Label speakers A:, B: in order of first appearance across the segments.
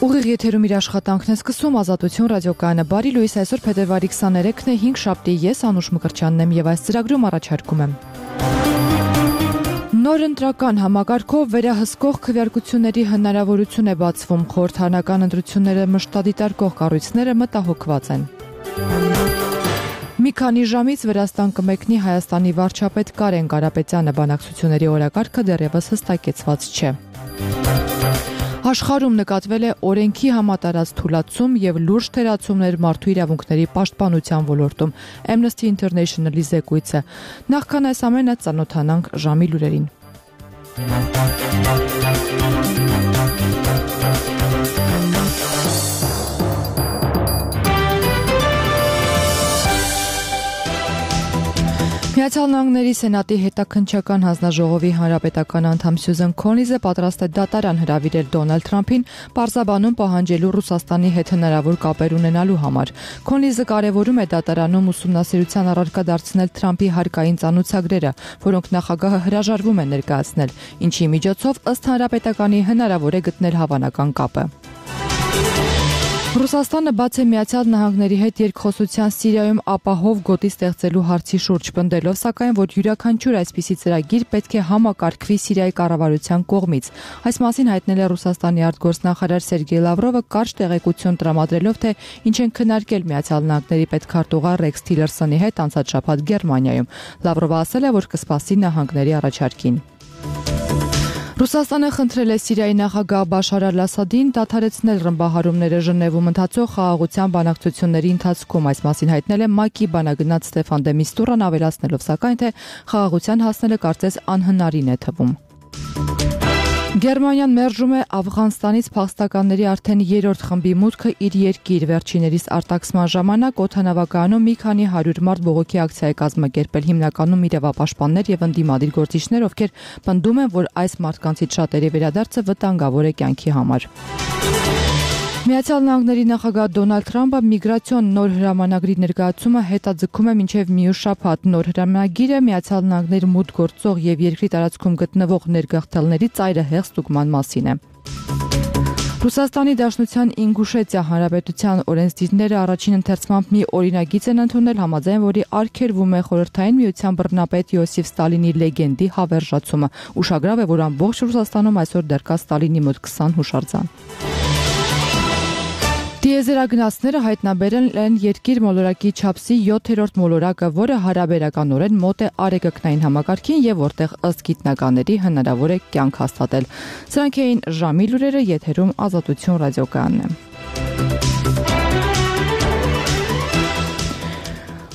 A: Ուղիղ եթերում իր աշխատանքն է սկսում Ազատություն ռադիոկայանը։ Բարի լույս, այսօր փետրվարի 23-ն է, 5 շաբթի, ես Անուշ Մկրտչյանն եմ եւ այս ծրագրում առաջարկում եմ նոր ընտրական համակարգով վերահսկող քվեարկությունների հնարավորություն է բացվում, խորհրդարանական ընտրությունները մշտադիտարկող կառույցները մտահոգված են։ Մի քանի ժամից Վրաստան կմեկնի Հայաստանի վարչապետ Կարեն Կարապետյանը, բանակցությունների օրակարգը դեռևս հստակեցված չէ։ Աշխարհում նկատվել է օրենքի համատարած թուլացում եւ լուրջ թերացումներ մարդու իրավունքների պաշտպանության ոլորտում, Amnesty International-ի զեկույցը։ Նախքան այս ամենը ծանոթանանք ժամի լուրերին։ Միացյալ Նահանգների Սենատի հետաքննչական հանձնաժողովի հանրապետական անդամ Սյուզեն Քոլինզը պատրաստ է դատարան հրավիրել Դոնալդ Թրամփին պարզաբանում պահանջելու Ռուսաստանի հետ հնարավոր կապեր ունենալու համար։ Քոլինզը կարևորում է դատարանում ուսումնասիրության առարկա դարձնել Թրամփի հարկային ծանոթագրերը, որոնք նախագահը հրաժարվում է ներկայացնել, ինչի միջոցով ըստ հանրապետականի հնարավոր է գտնել հավանական կապը։ Ռուսաստանը բաց է Միացյալ Նահանգների հետ երկխոսության Սիրիայում ապահով գոտի ստեղծելու հարցի շուրջ պնդելով, սակայն որ յուրաքանչյուր այսպիսի ծրագիր պետք է համակարգվի Սիրիայի կառավարության կողմից։ Այս մասին հայտնել է Ռուսաստանի արտգործնախարար Սերգեյ Լավրովը կարճ տեղեկություն տրամադրելով, թե ինչ են քննարկել Միացյալ Նահանգների պետքարտուղար Ռեքս Թիլերսոնի հետ անցած շաբաթ Գերմանիայում։ Լավրովը ասել է, որ կսպասի նահանգների առաջարկին։ Ռուսաստանը խնդրել է Սիրիայի նախագահ Բաշար Ալ-Ասադին դադարեցնել ռմբահարումները Ժնևում ընթացող խաղաղության բանակցությունների ընթացքում։ Այս մասին հայտնել է ՄԱԿ-ի բանագնաց Ստեֆան դե Միստուրան, ավելացնելով սակայն, թե խաղաղության հասնելը կարծես անհնարին է թվում։ Գերմանիան մերժում է Աֆղանստանից փախստականների արդեն 3-րդ խմբի մուտքը իր երկիր։ Վերջիներիս արտաքսման ժամանակ օդանավակայանում մի քանի 100 մարդ բողոքի ակցիա է կազմակերպել, հիմնականում իրավապաշտպաններ եւ ընդդիմադիր գործիչներ, ովքեր պնդում են, որ այս մարդկանցից շատերի վերադարձը վտանգավոր է կյանքի համար։ Միացյալ Նահանգների նախագահ Դոնալդ Թրամփը միգրացիոն նոր հրամանագրի ներկայացումը հետաձգում է մինչև մյուս շաբաթ։ Նոր հրամանագիրը Միացյալ Նահանգներ մուտք գործող եւ երկրի տարածքում գտնվող ներգաղթյալների ծայրահեղ ստուգման մասին է։ Ռուսաստանի Դաշնության Ինգուշետիա Հանրապետության օրենսդիրները առաջին ընթերցմամբ մի օրինագիծ են ընդունել, համաձայն որի արգելվում է Խորհրդային Միության բռնապետ Յոսիֆ Ստալինի լեգենդի հավերժացումը։ Ուշագրավ է, որ ամբողջ Ռուսաստանում այսօր դեռ կա Ստալինի մոտ 20 հուշարձան։ Տիեզերագնացները հայտնաբերել են երկիր մոլորակի չափսի 7-րդ մոլորակը, որը հարաբերականորեն մոտ է արեգակնային համակարգին եւ որտեղ ըստ գիտնականների հնարավոր է կյանք հաստատել։ Սրանք էին ժամի լուրերը, եթերում Ազատություն ռադիոկայանն է։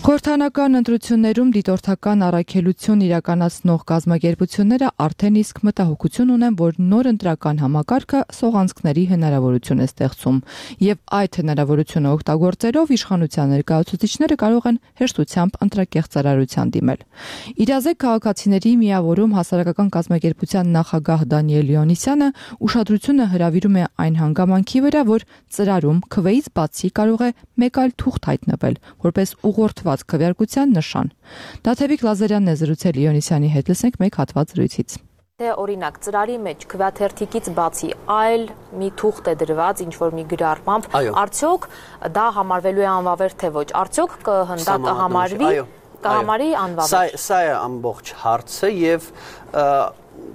A: Խորհրդարանական ընտրություններում դիտորդական առաքելություն իրականացնող կազմակերպությունները արդեն իսկ մտահոգություն ունեն, որ նոր ընտրական համակարգը սողանցքների հնարավորություն է ստեղծում, եւ այդ հնարավորությունը օգտագործելով իշխանության ներկայացուցիչները կարող են հեշտությամբ ընտրակեղծարարության դիմել։ Իրազեկ քաղաքացիների միավորում հասարակական կազմակերպության նախագահ Դանիել Լեոնիսյանը ուշադրությունը հրավիրում է այն հանգամանքի վրա, որ ծրարում քվեից բացի կարող է մեկ այլ թուղթ հայտնվել, որպես ուղղորդված քվեարկության նշան։ Դաթևիկ Լազարյանն է զրուցել Լեոնիսյանի հետ, լսենք մեկ հատված զրույցից։
B: Դե օրինակ ծրարի մեջ քվեաթերթիկից բացի այլ մի թուղթ է դրված ինչ-որ մի գրառմամբ, արդյոք դա համարվելու է անվավեր թե ոչ, արդյոք կհամարի անվավեր։
C: Սա է ամբողջ հարցը եւ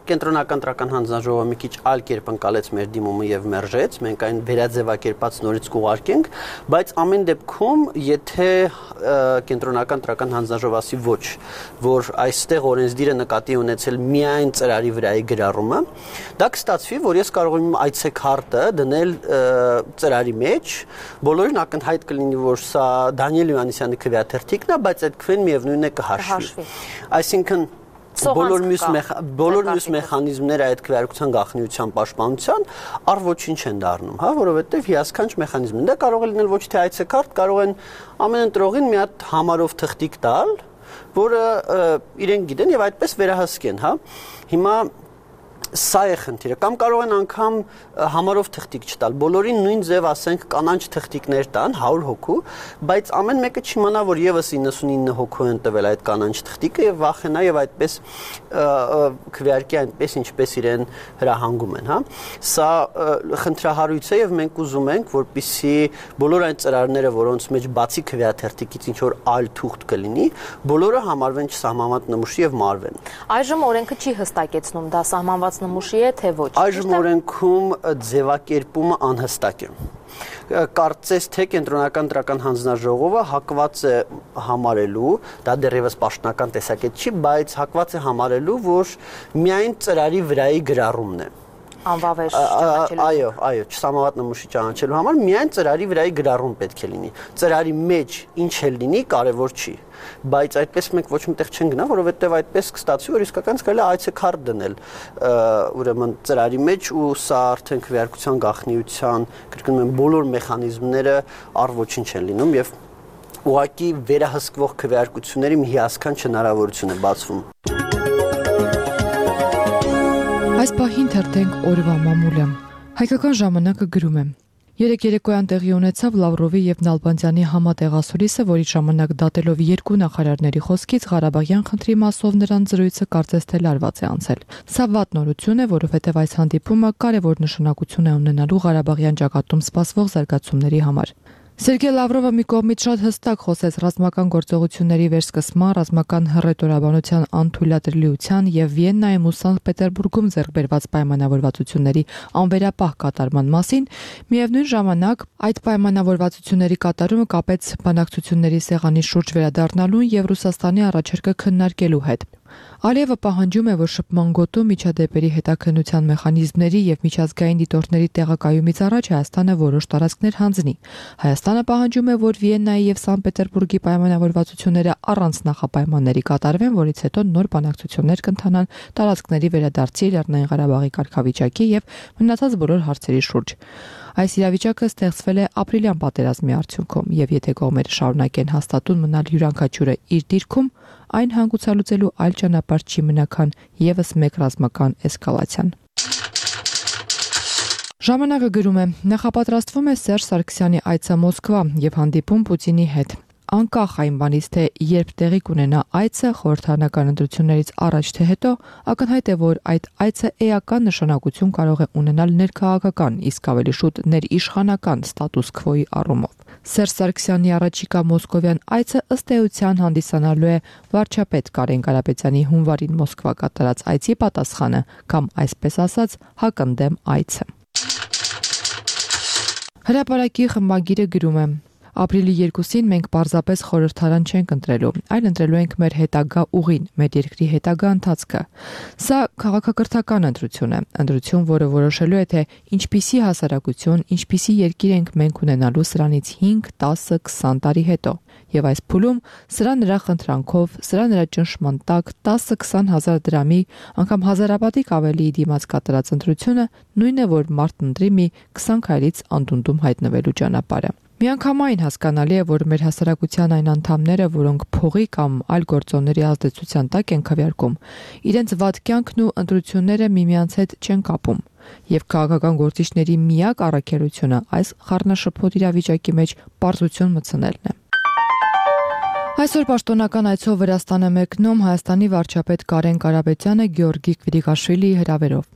C: Կենտրոնական ընտրական հանձնաժողովը մի քիչ այլ կերպ ընկալեց մեր դիմումը եւ մերժեց, մենք այն վերաձևակերպած նորից կուղարկենք, բայց ամեն դեպքում, եթե Կենտրոնական ընտրական հանձնաժողովը ասի ոչ, որ այստեղ օրենսդիրը նկատի ունեցել միայն ծրարի վրայի գրառումը, դա կստացվի, որ ես կարող եմ այցեքարտը դնել ծրարի մեջ, բոլորին ակնհայտ կլինի, որ սա Դանիել Լեոնիսյանի քվեաթերթիկն է, բայց այդ քվեն միևնույնն է կհաշվի։ Այսինքն բոլոր մյուս մեխանիզմները այդ քվեարկության գաղտնիության պաշտպանության առ ոչինչ են դառնում, հա, որովհետև հիասքանչ մեխանիզմ են։ Դա կարող է լինել ոչ թե այցեքարտ, կարող են ամեն ընտրողին մի հատ համարով թղթիկ տալ, որը իրենք գիտեն եւ այդպես վերահսկեն, հա։ Հիմա Սա է խնդիրը, կամ կարող են անգամ համարով թղթիկ չտալ, բոլորին նույն ձև ասենք կանանչ թղթիկներ տան 100 հոգու, բայց ամեն մեկը չիմանա, որ եւս 99 հոգու են տվել այդ կանանչ թղթիկը եւ վախենա եւ այդպես քվեարկի այնպես ինչպես իրեն հրահանգում են, հա։ Սա խնդրահարույց է եւ մենք ուզում ենք, որպեսզի բոլոր այն ծրարները, որոնց մեջ բացի քվեաթերթիկից ինչ որ այլ թուղթ կլինի, բոլորը համարվեն չսահմանված նմուշի եւ մարվեն։
B: Այժմ օրենքը չի հստակեցնում դա սահմանված նմուշի է թե ոչ։
C: Այժմ օրենքում ձևակերպումը անհստակ է։ Կարծես թե կենտրոնական տրական հանձնաժողովը հակված է համարելու, դա դեռևս պաշտոնական տեսակետ չի, բայց հակված է համարելու, որ միայն ծրարի վրայի գրառումն է։
B: Անվավեր ճանաչելու։
C: Այո, չսահմանված նմուշի ճանաչելու համար միայն ծրարի վրայի գրառում պետք է լինի։ Ծրարի մեջ ինչ էլ լինի, կարևոր չի, բայց այդպես մենք ոչ միտեղ չեն գնա, որովհետև այդպես կստացվի, որ իսկական կարելի է այցեքարտ դնել ուրեմն ծրարի մեջ ու սա արդեն քվեարկության գաղտնիության, կրկնում եմ, բոլոր մեխանիզմները առ ոչինչ են լինում եւ ուղղակի վերահսկվող քվեարկությունների մի հիասքանչ հնարավորություն է բացվում։
A: Այս պահին թերթենք օրվա մամուլը։ Հայկական ժամանակը գրում է. Երեկ երեկոյան տեղի ունեցավ Լավրովի եւ Նալբանդյանի համատեղասուրիսը, որի ժամանակ դատելով երկու նախարարների խոսքից Ղարաբաղյան խնդրի մասով նրանց զրույցը կարծես թե լարված է անցել։ Սա վատ նորություն է, որովհետեւ այս հանդիպումը կարևոր նշանակություն է ունենալու Ղարաբաղյան ճակատում սպասվող զարգացումների համար։ Սերգեյ Լավրովը մի կողմից շատ հստակ խոսեց ռազմական գործողությունների վերսկսման, ռազմական հռետորաբանության անթույլատրելիության եւ Վիեննայում ու Սանկտ Պետերբուրգում ձեռք բերված պայմանավորվածությունների անվերապահ կատարման մասին, միևնույն ժամանակ այդ պայմանավորվածությունների կատարումը կապեց բանակցությունների սեղանի շուրջ վերադառնալուն եւ Ռուսաստանի առաջարկը քննարկելու հետ։ Ալիևը պահանջում է, որ շփման գոտու միջադեպերի հետաքննության մեխանիզմների եւ միջազգային դիտորդների տեղակայումից առաջ Հայաստանը որոշ տարածքներ հանձնի։ Հայաստանը պահանջում է, որ Վիեննայի եւ Սանկտ Պետերբուրգի պայմանավորվածությունները առանց նախապայմանների կատարվեն, որից հետո նոր բանակցություններ կընթանան տարածքների վերադարձի, Լեռնային Ղարաբաղի կարգավիճակի եւ մնացած բոլոր հարցերի շուրջ։ Այս իրավիճակը ստեղծվել է ապրիլյան պատերազմի արդյունքում եւ եթե կողմերը շարունակեն հաստատուն մնալ յուրաքանչյուրը իր դիրքում, այն հանգուցալուծելու այլ ճանապարհ չի մնա քան եւս մեկ ռազմական էսկալացիան։ Ժամանակը գրում է. նախապատրաստվում է Սերժ Սարգսյանի այցը Մոսկվա եւ հանդիպում Պուտինի հետ։ Անկախ այն բանից, թե երբ տեղի կունենա այցը խորհրդարանական ընտրություններից առաջ թե հետո, ակնհայտ է, որ այդ այցը էական նշանակություն կարող է ունենալ ներքաղաքական, իսկ ավելի շուտ ներիշխանական ստատուս քվոյի առումով։ Սերժ Սարգսյանի առաջիկա մոսկովյան այցը ըստ էության հանդիսանալու է վարչապետ Կարեն Կարապետյանի հունվարին Մոսկվա կատարած այցի պատասխանը, կամ այսպես ասած, հակընդդեմ այցը։ Հրապարակի խմբագիրը գրում է. Ապրիլի 2-ին մենք պարզապես խորհրդարան չենք ընտրելու, այլ ընտրելու ենք մեր հետագա ուղին, մեր երկրի հետագա ընթացքը։ Սա քաղաքակրթական ընտրություն է, ընտրություն, որը որոշելու է, թե ինչպիսի հասարակություն, ինչպիսի երկիր ենք մենք ունենալու սրանից 5, 10, 20 տարի հետո։ Եվ այս փուլում սրա նրա խնդրանքով, սրա նրա ճնշման տակ 10-20 հազար դրամի, անգամ հազարապատիկ ավելի դիմաց կատարած ընտրությունը նույնն է, որ մարդ ընտրի մի 20 քայլից անդունդում հայտնվելու ճանապարհը։ Միանգամայն հասկանալի է, որ մեր հասարակության այն անդամները, որոնք փողի կամ այլ գործոնների ազդեցության տակ են քվեարկում, իրենց վատ կյանքն ու ընտրությունները միմյանց հետ չեն կապում, եւ քաղաքական գործիչների միակ առաքելությունը այս խառնաշփոթ իրավիճակի մեջ պարզություն մտցնելն է։ Այսօր պաշտոնական այցով Վրաստան է մեկնում Հայաստանի վարչապետ Կարեն Կարապետյանը Գեորգի Կվիրիկաշվիլիի հրավերով։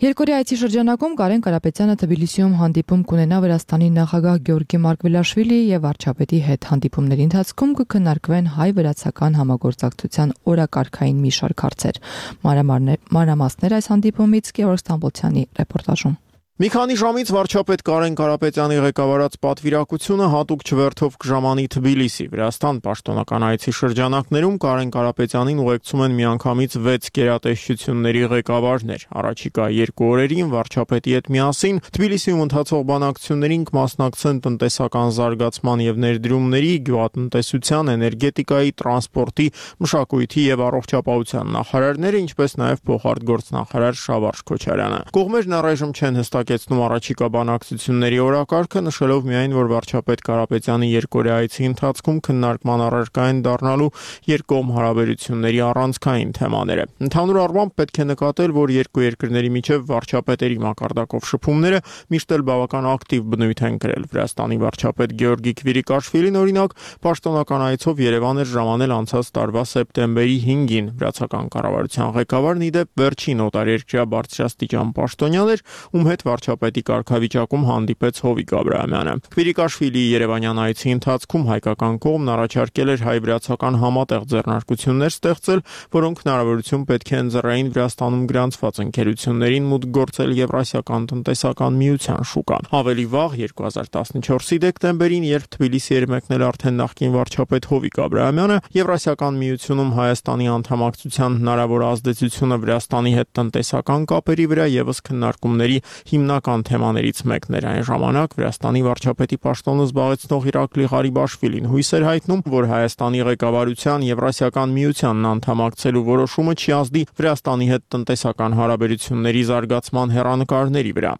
A: Երկօրյա այցի շրջանակում Կարեն Կարապետյանը Թբիլիսիում հանդիպում կունենա Վրաստանի նախագահ Գեորգի Մարկվելաշվիլիի եւ վարչապետի հետ։ Հանդիպումների ընթացքում կքննարկվեն հայ-վրացական համագործակցության օրակարգային մի շարք հարցեր։ Մանրամասներ այս հանդիպումից Գեորգ Ստամբոլցյանի ռեպորտաժում։
D: Մի քանի ժամից վարչապետ Կարեն Կարապետյանի ղեկավարած պատվիրակությունը հատուկ չվերթով կժամանի Թբիլիսի։ Վրաստան պաշտոնական այցի շրջանակներում Կարեն Կարապետյանին ուղեկցում են միանգամից 6 գերատեսչությունների ղեկավարներ։ Առաջիկա 2 օրերին վարչապետի հետ միասին Թբիլիսիում ընթացող բանակցություններին կմասնակցեն տնտեսական զարգացման եւ ներդրումների, գյուղատնտեսության, էներգետիկայի, տրանսպորտի, մշակույթի եւ առողջապահության նախարարները, ինչպես նաեւ փոխարտգործնախարար Շավարժ Քոչարյանը։ Կողմերն առայժմ չեն հստակեցնում առաջիկա բանակցությունների օրակարգը, նշելով միայն, որ վարչապետ Կարապետյանի երկօրյա այցի ընթացքում քննարկման առարկա են դառնալու երկկողմ հարաբերությունների առանցքային թեմաները։ Ընդհանուր առմամբ պետք է նկատել, որ երկու երկրների միջև վարչապետերի մակարդակով շփումները միշտ էլ բավական ակտիվ բնույթ են կրել։ Վրաստանի վարչապետ Գեորգի Քվիրիկաշվիլին, օրինակ, պաշտոնական այցով Երևան էր ժամանել անցած տարվա սեպտեմբերի 5-ին։ Վրացական կառավարության ղեկավարն ի դեպ վերջին օտարերկրյա բարձրաստիճան պաշտոնյան էր, ում հետ վարչապետի կարգավիճակում հանդիպեց Հովիկ Աբրահամյանը։ Քվիրիկաշվիլիի երևանյան այցի ընթացքում հայկական կողմն առաջարկել էր հայ-վրացական համատեղ ձեռնարկություններ ստեղծել, որոնք հնարավորություն պետք է ընձեռային Վրաստանում գրանցված ընկերություններին մուտք գործել Եվրասիական տնտեսական միության շուկա։ Ավելի վաղ 2014-ի դեկտեմբերին, երբ Թբիլիսի էր մեկնել արդեն նախկին վարչապետ Հովիկ Աբրահամյանը, Եվրասիական միությունում Հայաստանի անդամակցության հնարավոր ազդեցությունը Վրաստանի հետ տնտեսական կապերի վրա եւս քննարկումների հիմնական թեմաներից մեկն էր։ Այն ժամանակ Վրաստանի վարչապետի պաշտոնը զբաղեցնող Իրակլի Ղարիբաշվիլին հույս էր հայտնում, որ Հայաստանի ղեկավարության Եվրասիական միությանն անդամակցելու որոշումը չի ազդի Վրաստանի հետ տնտեսական հարաբերությունների զարգացման հեռանկարների վրա։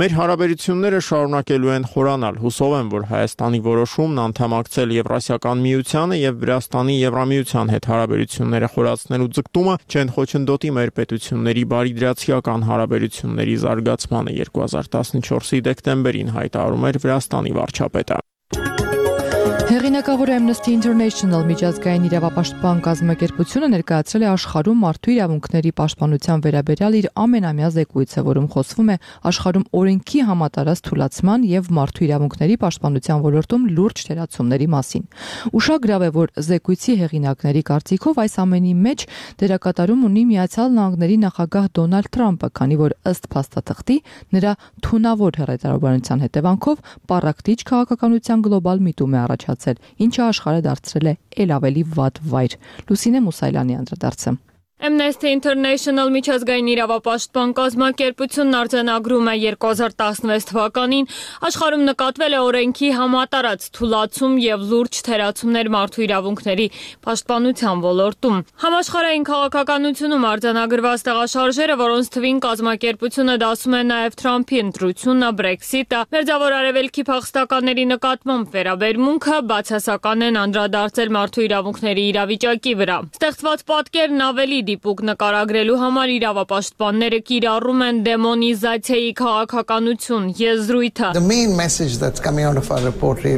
D: Մեր հարաբերությունները շարունակելու են խորանալ։ Հուսով եմ, որ Հայաստանի որոշումն անդամակցել Եվրասիական միությանը եւ Վրաստանի Եվրամիության հետ հարաբերությունները խորացնելու ձգտումը չեն խոչընդոտի մեր պետությունների բարիդրացիական հարաբերությունների զարգացմանը, 2014-ի դեկտեմբերին հայտարարում էր Վրաստանի վարչապետը։
A: Հեղինակավոր Amnesty International միջազգային իրավապաշտպան կազմակերպությունը ներկայացրել է աշխարհում մարդու իրավունքների պաշտպանության վերաբերյալ իր ամենամյա զեկույցը, որում խոսվում է աշխարհում օրենքի համատարած թուլացման եւ մարդու իրավունքների պաշտպանության ոլորտում լուրջ թերացումների մասին։ Ուշագրավ է, որ զեկույցի հեղինակների կարծիքով այս ամենի մեջ դերակատարում ունի Միացյալ Նահանգների նախագահ Դոնալդ Թրամփը, քանի որ ըստ փաստաթղթի նրա թունավոր հեռահարության հետևանքով պառակտիչ քաղաքականության գլոբալ միտում է առաջացել, ինչը աշխարհը դարձրել է ել ավելի վատ վայր։ Լուսինե Մուսայլյանի անդրադարձը։
E: Amnesty International միջազգային իրավապաշտպան կազմակերպությունն արձանագրում է 2016 թվականին աշխարհում նկատվել է օրենքի համատարած թուլացում եւ լուրջ թերացումներ մարդու իրավունքների պաշտպանության ոլորտում։ Համաշխարհային քաղաքականությունում արձանագրված տեղաշարժերը, որոնց թվին կազմակերպությունը դասում է նաեւ Թրամփի ընտրությունը, Brexit-ը, Մերձավոր Արևելքի փախստականների նկատմամբ վերաբերմունքը բացասական են անդրադարձել մարդու իրավունքների իրավիճակի վրա։ Ստեղծված պատկերն ավելի դիպուկ նկարագրելու համար իրավապաշտպանները կիրառում են դեմոնիզացիայի քաղաքականություն եզրույթը։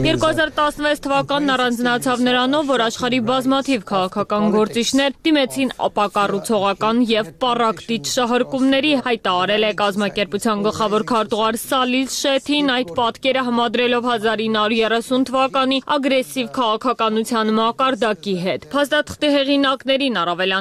E: 2016 թվականն առանձնացավ նրանով, որ աշխարհի բազմաթիվ քաղաքական գործիչներ դիմեցին ապակառուցողական եւ պառակտիչ շահարկումների, հայտարարել է կազմակերպության գլխավոր քարտուղար Սալիլ Շեթին, այդ պատկերը համադրելով 1930 թվականի ագրեսիվ քաղաքականության մակարդակի հետ։ Փաստաթղթի հեղինակներին առավել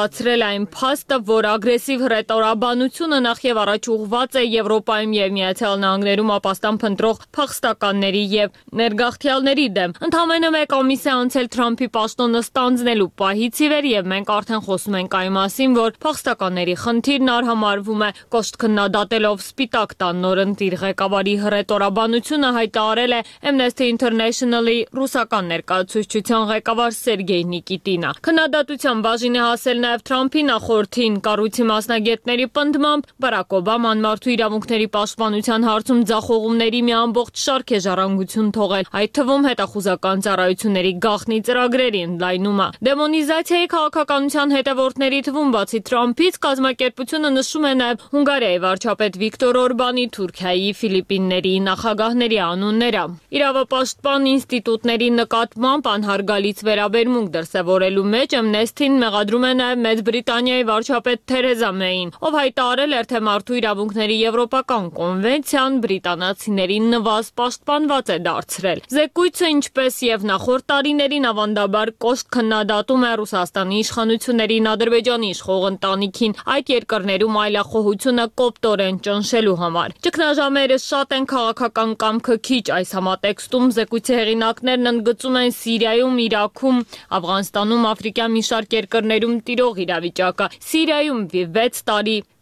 E: անհանգստացրել այն փաստը, որ ագրեսիվ հռետորաբանությունը նախ եւ առաջ ուղղված է Եվրոպայում եւ Միացյալ Նահանգներում ապաստան փնտրող փախստականների եւ ներգաղթյալների դեմ։ Ընդամենը մեկ ամիս է անցել Թրամփի պաշտոնը ստանձնելու պահից ի վեր եւ մենք արդեն խոսում ենք այն մասին, որ փախստականների խնդիրն արհամարվում է կոշտ քննադատելով Սպիտակ տան նորընտիր ղեկավարի հռետորաբանությունը, հայտարարել է Amnesty International-ի ռուսական ներկայացուցչության ղեկավար Սերգեյ Նիկիտինը։ Քննադատության բաժին է հասել նաև Թրամփի նախորդին։ Կառույցի մասնագետների պնդմամբ Բարակ Օբաման մարդու իրավունքների պաշտպանության հարցում ձախողումների մի ամբողջ շարք է ժառանգություն թողել, այդ թվում հետախուզական ծառայությունների գաղտնի ծրագրերի ընդլայնումը։ Դեմոնիզացիայի քաղաքականության հետևորդների թվում բացի Թրամփից կազմակերպությունը նշում է նաև Հունգարիայի վարչապետ Վիկտոր Օրբանի, Թուրքիայի, Ֆիլիպինների նախագահների անունները։ Իրավապաշտպան ինստիտուտների նկատմամբ անհարգալից վերաբերմունք դրսևորելու մեջ Amnesty-ն մեղադրում է նաև Մեծ Բրիտանիայի վարչապետ Թերեզա Մեյին, ով հայտարարել էր, թե մարդու իրավունքների եվրոպական կոնվենցիան բրիտանացիներին նվազ պաշտպանված է դարձրել։ Զեկույցը, ինչպես եւ նախորդ տարիներին, ավանդաբար կոշտ քննադատում է Ռուսաստանի իշխանություններին Ադրբեջանի իշխող ընտանիքին այդ երկրներում այլախոհությունը կոպտորեն ճնշելու համար։ Ճգնաժամերը շատ են, քաղաքական կամքը քիչ։ Այս համատեքստում զեկույցի հեղինակներն ընդգծում են Սիրիայում, Իրաքում, Աֆղանստանում, Աֆրիկյան մի շարք երկրներում տիրող հաջող իրավիճակը։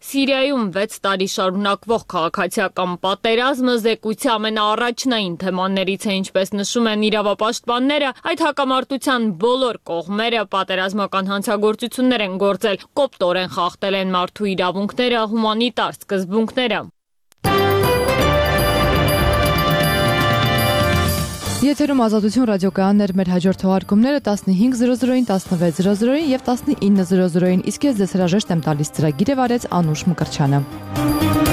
E: Սիրիայում 6 տարի շարունակվող քաղաքացիական պատերազմը զեկույցի ամենաառաջնային թեմաներից է, ինչպես նշում են իրավապաշտպանները, այդ հակամարտության բոլոր կողմերը պատերազմական հանցագործություններ են գործել, կոպտորեն խախտել են մարդու իրավունքները, հումանիտար սկզբունքները։
A: Եթերում Ազատություն ռադիոկայաններ, մեր հաջորդ թողարկումները 15:00-ին, 16:00-ին եւ 19:00-ին, իսկ ես ձեզ հրաժեշտ եմ տալիս ծրագիրը վարեց Անուշ Մկրչյանը։